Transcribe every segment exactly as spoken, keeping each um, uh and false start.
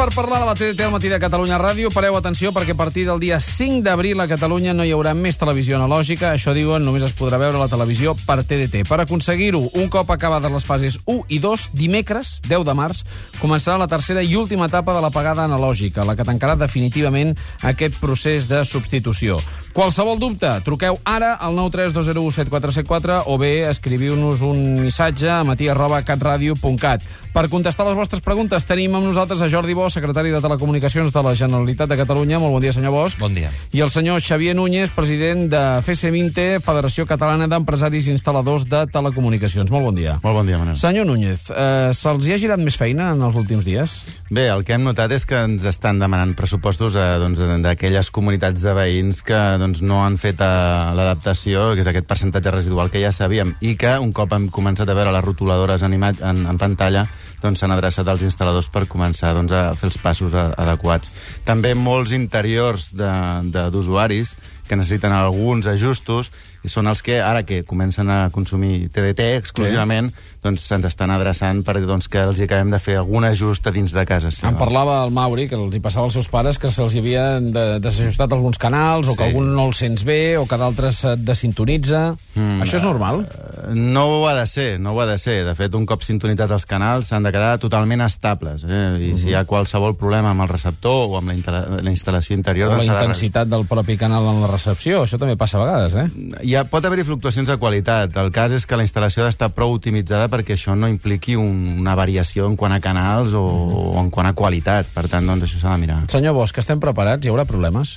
per parlar de la T D T al matí de Catalunya Ràdio. Pareu atenció perquè a partir del dia cinc d'abril a Catalunya no hi haurà més televisió analògica. Això diuen, només es podrà veure la televisió per T D T. Per aconseguir-ho, un cop acabades les fases u i dos, dimecres, deu de març, començarà la tercera i última etapa de l'apagada analògica, la que tancarà definitivament aquest procés de substitució. Qualsevol dubte, truqueu ara al nou tres dos zero u set quatre set quatre o bé escriviu-nos un missatge a matí arroba catradio punt cat. Per contestar les vostres preguntes tenim amb nosaltres a Jordi Bosch, secretari de Telecomunicacions de la Generalitat de Catalunya. Molt bon dia, senyor Bosch. Bon dia. I el senyor Xavier Núñez, president de F S Vinte, Federació Catalana d'Empresaris Instal·ladors de Telecomunicacions. Molt bon dia. Molt bon dia, Manel. Senyor Núñez, eh, se'ls hi ha girat més feina en els últims dies? Bé, el que hem notat és que ens estan demanant pressupostos eh, doncs, d'aquelles comunitats de veïns que doncs, no han fet eh, l'adaptació, que és aquest percentatge residual que ja sabíem, i que un cop hem començat a veure les rotuladores en, en, en pantalla, doncs s'han adreçat als instal·ladors per començar doncs, a fer els passos a, adequats. També molts interiors d'usuaris que necessiten alguns ajustos i són els que, ara que comencen a consumir T D T exclusivament, sí. doncs se'ns estan adreçant perquè doncs, que els hi acabem de fer algun ajust a dins de casa. Sí, em parlava el Mauri, que els hi passava als seus pares, que se'ls havien de, desajustat alguns canals, o que sí. algun no el sents bé, o que d'altres et desintonitza. Mm, Això és normal? Uh, no ho ha de ser, no ho ha de ser. De fet, un cop sintonitzats els canals s'han de quedar totalment estables. Eh? I uh-huh. si hi ha qualsevol problema amb el receptor o amb la, la instal·lació interior... O la intensitat de... del propi canal en la recepció, això també passa a vegades, eh? Hi ha, pot haver-hi fluctuacions de qualitat. El cas és que la instal·lació ha d'estar prou optimitzada perquè això no impliqui un, una variació en quant a canals o, o en quant a qualitat. Per tant, doncs, això s'ha de mirar. Senyor Bosch, estem preparats? Hi haurà problemes?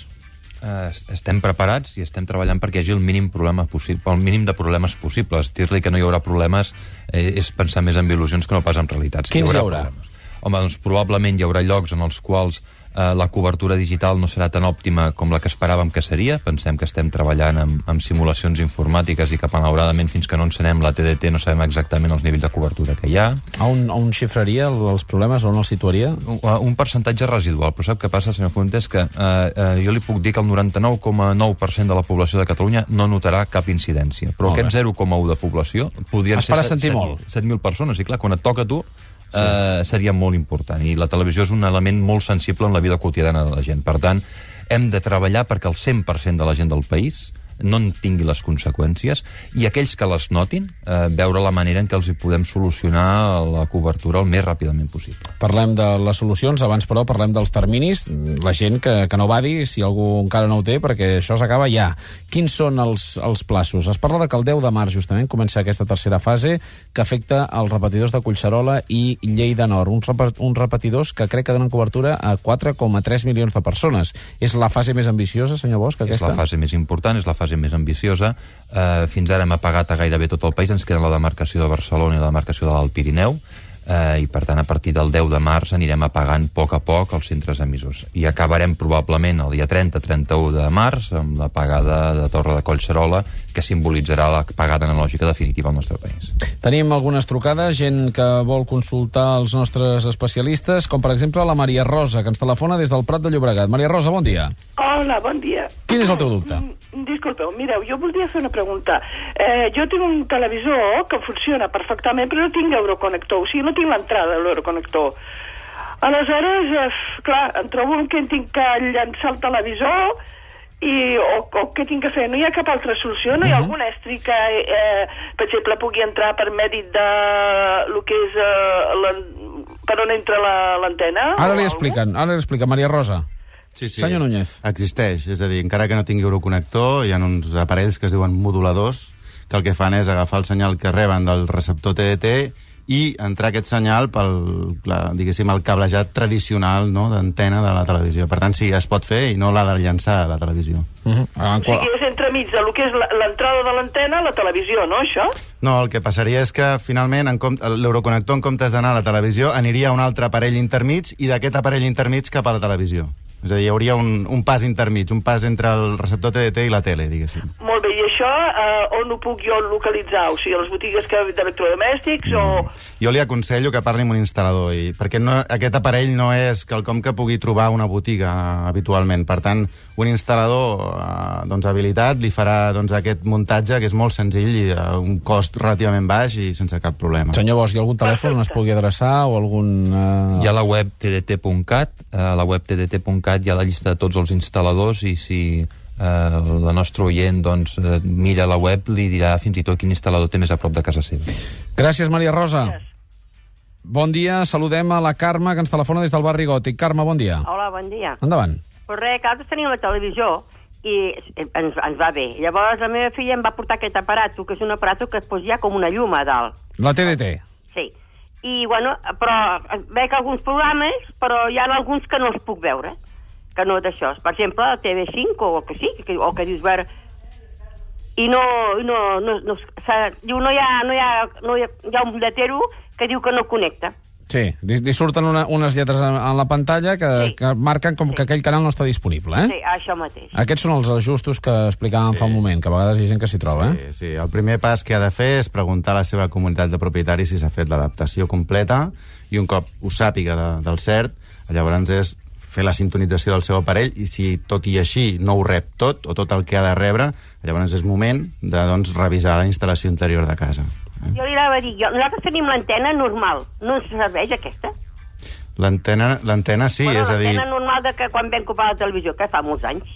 Uh, estem preparats i estem treballant perquè hi hagi el mínim, problema possible, el mínim de problemes possibles. Dir-li que no hi haurà problemes eh, és pensar més en il·lusions que no pas en realitats. Quins hi haurà? Hi haurà? Home, doncs probablement hi haurà llocs en els quals eh, la cobertura digital no serà tan òptima com la que esperàvem que seria. Pensem que estem treballant amb, amb simulacions informàtiques i que, malauradament, fins que no encenem la T D T no sabem exactament els nivells de cobertura que hi ha. A on, on xifraria els problemes? On els situaria? Un, un percentatge residual. Però sap què passa, senyor Fuentes? Que eh, eh, jo li puc dir que el noranta-nou coma nou per cent de la població de Catalunya no notarà cap incidència. Però molt aquest zero coma u de població podrien es ser set mil persones. I clar, quan et toca a tu, Sí. Uh, seria molt important, i la televisió és un element molt sensible en la vida quotidiana de la gent. Per tant, hem de treballar perquè el cent per cent de la gent del país no en tingui les conseqüències, i aquells que les notin, eh, veure la manera en què els hi podem solucionar la cobertura el més ràpidament possible. Parlem de les solucions, abans però parlem dels terminis, la gent que, que no badi si algú encara no ho té, perquè això s'acaba ja. Quins són els, els plaços? Es parla de que el deu de març justament comença aquesta tercera fase que afecta els repetidors de Collserola i Lleida Nord, uns, rep uns repetidors que crec que donen cobertura a quatre coma tres milions de persones. És la fase més ambiciosa, senyor Bosch, aquesta? És la fase més important, és la fase més ambiciosa. Eh, fins ara hem apagat a gairebé tot el país, ens queda la demarcació de Barcelona i la demarcació de l'Alt Pirineu, eh, i per tant a partir del deu de març anirem apagant a poc a poc els centres emissors. I acabarem probablement el dia trenta trenta-u de març amb l'apagada de Torre de Collserola, que simbolitzarà l'apagada analògica definitiva al nostre país. Tenim algunes trucades, gent que vol consultar els nostres especialistes, com per exemple la Maria Rosa, que ens telefona des del Prat de Llobregat. Maria Rosa, bon dia. Hola, bon dia. Quin és el teu dubte? Disculpeu, mireu, jo voldria fer una pregunta. Eh, jo tinc un televisor que funciona perfectament, però no tinc euroconector, o sigui, no tinc l'entrada de l'euroconector. Aleshores, eh, clar, em trobo que tinc que llançar el televisor i, o, o què tinc que fer? No hi ha cap altra solució? No hi ha uh-huh. algun estri que, eh, per exemple, pugui entrar per mèrit de lo que és eh, per on entra l'antena? Ara li expliquen, ara li explica Maria Rosa. Sí, sí. Senyor Núñez. Existeix, és a dir, encara que no tingui euroconnector, hi ha uns aparells que es diuen moduladors, que el que fan és agafar el senyal que reben del receptor T D T i entrar aquest senyal pel, la, diguéssim, el cablejat tradicional, no?, d'antena de la televisió. Per tant, sí, es pot fer i no l'ha de llançar a la televisió. Uh-huh. O sigui, és entremig de lo que és l'entrada de l'antena a la televisió, no, això? No, el que passaria és que, finalment, l'euroconnector, en comptes d'anar a la televisió, aniria a un altre aparell intermig i d'aquest aparell intermig cap a la televisió. És a dir, hi hauria un, un pas intermig, un pas entre el receptor T D T i la tele, diguéssim. Molt bé, i això eh, on ho puc jo localitzar? O sigui, a les botigues que d'electrodomèstics o... Jo li aconsello que parli amb un instal·lador, i, perquè no, aquest aparell no és quelcom que pugui trobar una botiga eh, habitualment. Per tant, un instal·lador eh, doncs, habilitat li farà doncs, aquest muntatge, que és molt senzill i a uh, un cost relativament baix i sense cap problema. Senyor Bosch, hi ha algun telèfon on es pugui adreçar o algun... Eh... Hi ha la web t d t punt cat, a la web t d t punt cat hi ha la llista de tots els instal·ladors, i si eh, la nostra oient doncs, eh, mira la web, li dirà fins i tot quin instal·lador té més a prop de casa seva. Gràcies, Maria Rosa. Gràcies. Bon dia, saludem a la Carme, que ens telefona des del barri Gòtic. Carme, bon dia. Hola, bon dia. Endavant. Pues res, que nosaltres teníem la televisió i ens, ens va bé. Llavors la meva filla em va portar aquest aparato, que és un aparato que es posa com una llum a dalt. La T D T. Sí. I, bueno, però veig alguns programes, però hi ha alguns que no els puc veure, que no d'això. Per exemple, la T V cinc, o que sí, que, o que dius veure... I no... no, no, no, diu, no hi ha, no hi ha, no hi ha, hi ha un lletero que diu que no connecta. Sí, li, li surten una, unes lletres en, en la pantalla que, sí. que marquen com sí. que aquell canal no està disponible, eh? Sí, això mateix. Aquests són els ajustos que explicàvem sí. fa un moment, que a vegades hi ha gent que s'hi troba, sí, eh? Sí, el primer pas que ha de fer és preguntar a la seva comunitat de propietaris si s'ha fet l'adaptació completa, i un cop ho sàpiga de, del cert, llavors és fer la sintonització del seu aparell, i si tot i així no ho rep tot, o tot el que ha de rebre, llavors és moment de doncs, revisar la instal·lació interior de casa. Eh? Jo li anava a dir, jo, nosaltres tenim l'antena normal, no ens serveix aquesta? L'antena, l'antena sí, bueno, és a dir... L'antena normal de que quan vam comprar la televisió, que fa molts anys.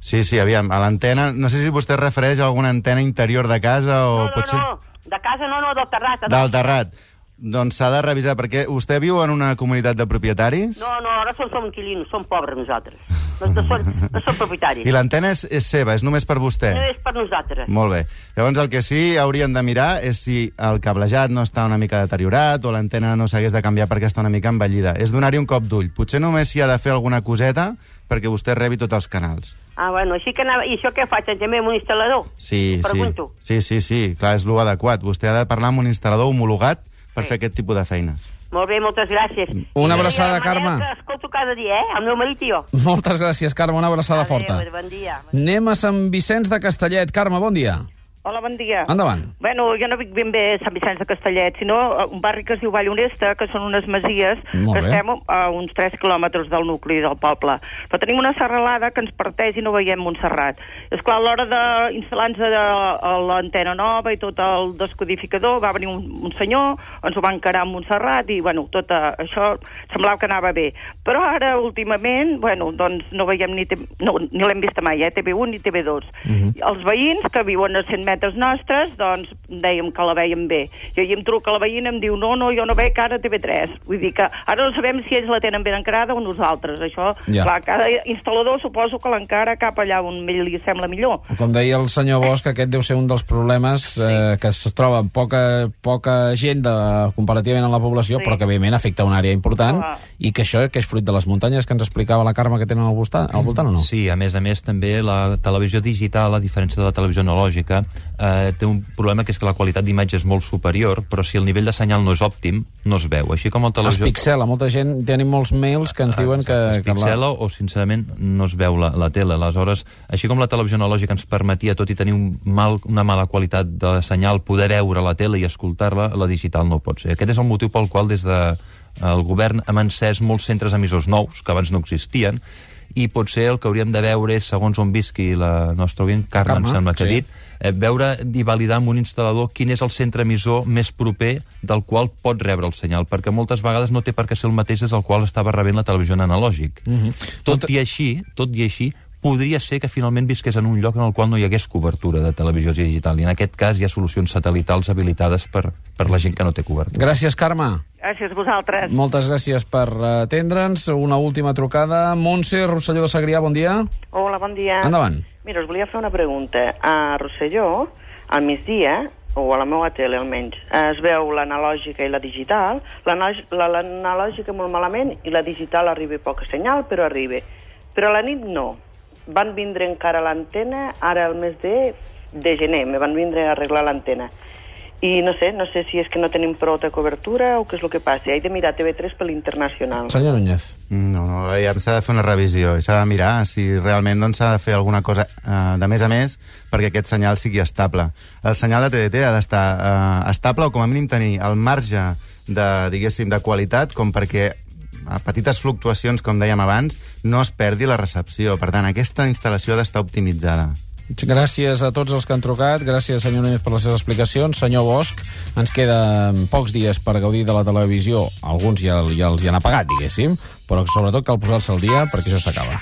Sí, sí, aviam, a l'antena... No sé si vostè es refereix a alguna antena interior de casa o... No, no, potser... no, de casa no, no, del terrat. Del terrat. Doncs s'ha de revisar, perquè vostè viu en una comunitat de propietaris? No, no, ara som, som inquilinos, som pobres nosaltres. No, no, som, no som propietaris. I l'antena és, és seva, és només per vostè? No és per nosaltres. Molt bé. Llavors el que sí haurien de mirar és si el cablejat no està una mica deteriorat o l'antena no s'hagués de canviar perquè està una mica envellida. És donar-hi un cop d'ull. Potser només s'hi ha de fer alguna coseta perquè vostè rebi tots els canals. Ah, bueno, així que anava... I això què faig? També amb un instal·lador? Sí, Pregunto. sí. Sí, sí, sí, clar, és l'adequat. Vostè ha de parlar amb un instal·lador homologat per sí. fer aquest tipus de feines. Molt bé, moltes gràcies. Una abraçada, Carme. Que escolto cada dia, eh? El meu marit i jo. Moltes gràcies, Carme, una abraçada Adeu, forta. Bon dia. Anem a Sant Vicenç de Castellet. Carme, bon dia. Hola, bon dia. Endavant. Bueno, jo no vic ben bé a Sant Vicenç de Castellet, sinó un barri que es diu Vall Honesta, que són unes masies Molt que bé. estem a uns tres quilòmetres del nucli del poble. Però tenim una serralada que ens parteix i no veiem Montserrat. És clar, a l'hora d'instal·lar-nos l'antena nova i tot el descodificador, va venir un, un senyor, ens ho va encarar a Montserrat i, bueno, tot això semblava que anava bé. Però ara, últimament, bueno, doncs no veiem ni... No, ni l'hem vista mai, eh? T V u ni T V dos. Uh-huh. Els veïns que viuen a cent metres nostres, doncs dèiem que la veiem bé. Jo hi em truca la veïna i em diu no, no, jo no veig ara T V tres. Vull dir que ara no sabem si ells la tenen ben encarada o nosaltres. Això, ja. clar, cada instal·lador suposo que l'encara cap allà on li sembla millor. Com deia el senyor Bosch, aquest deu ser un dels problemes eh, que es troba amb poca, poca gent de, comparativament a la població, sí. però que evidentment afecta una àrea important, ah. i que això que és fruit de les muntanyes que ens explicava la Carme que tenen al voltant, al voltant o no? Sí, a més a més també la televisió digital, a diferència de la televisió analògica, eh, té un problema que és que la qualitat d'imatge és molt superior, però si el nivell de senyal no és òptim, no es veu. Així com el televisió... Es pixela, molta gent, tenim molts mails que ens diuen que... Es pixela la... o, sincerament, no es veu la, la tele. Aleshores, així com la televisió analògica ens permetia, tot i tenir un mal, una mala qualitat de senyal, poder veure la tele i escoltar-la, la digital no pot ser. Aquest és el motiu pel qual des de el govern hem encès molts centres emissors nous, que abans no existien, i potser el que hauríem de veure és, segons on visqui la nostra oient, Carme, em sembla que ha dit, eh, veure i validar amb un instal·lador quin és el centre emissor més proper del qual pot rebre el senyal, perquè moltes vegades no té per què ser el mateix des del qual estava rebent la televisió en analògic. Mm-hmm. Tot i així, tot i així, podria ser que finalment visqués en un lloc en el qual no hi hagués cobertura de televisió digital, i en aquest cas hi ha solucions satelitals habilitades per, per la gent que no té cobertura. Gràcies, Carme. Gràcies a vosaltres. Moltes gràcies per atendre'ns. Una última trucada. Montse, Rosselló de Segrià, bon dia. Hola, bon dia. Endavant. Mira, us volia fer una pregunta. A Rosselló, al migdia, o a la meva tele almenys, es veu l'analògica i la digital. L'analògica molt malament i la digital arriba poca senyal, però arriba. Però a la nit no. Van vindre encara l'antena, ara el mes de, de gener, me van vindre a arreglar l'antena. i no sé, no sé si és que no tenim prou de cobertura o què és el que passa. He de mirar T V tres per l'internacional. Senyor Núñez. No, no, ja s'ha de fer una revisió i s'ha de mirar si realment doncs, s'ha de fer alguna cosa eh, de més a més perquè aquest senyal sigui estable. El senyal de T D T ha d'estar eh, estable o com a mínim tenir el marge de, diguéssim, de qualitat com perquè a petites fluctuacions, com dèiem abans, no es perdi la recepció. Per tant, aquesta instal·lació ha d'estar optimitzada. Gràcies a tots els que han trucat, gràcies senyor Núñez per les seves explicacions. Senyor Bosch, ens queden pocs dies per gaudir de la televisió, alguns ja, ja els hi han apagat, diguéssim, però sobretot cal posar-se al dia perquè això s'acaba.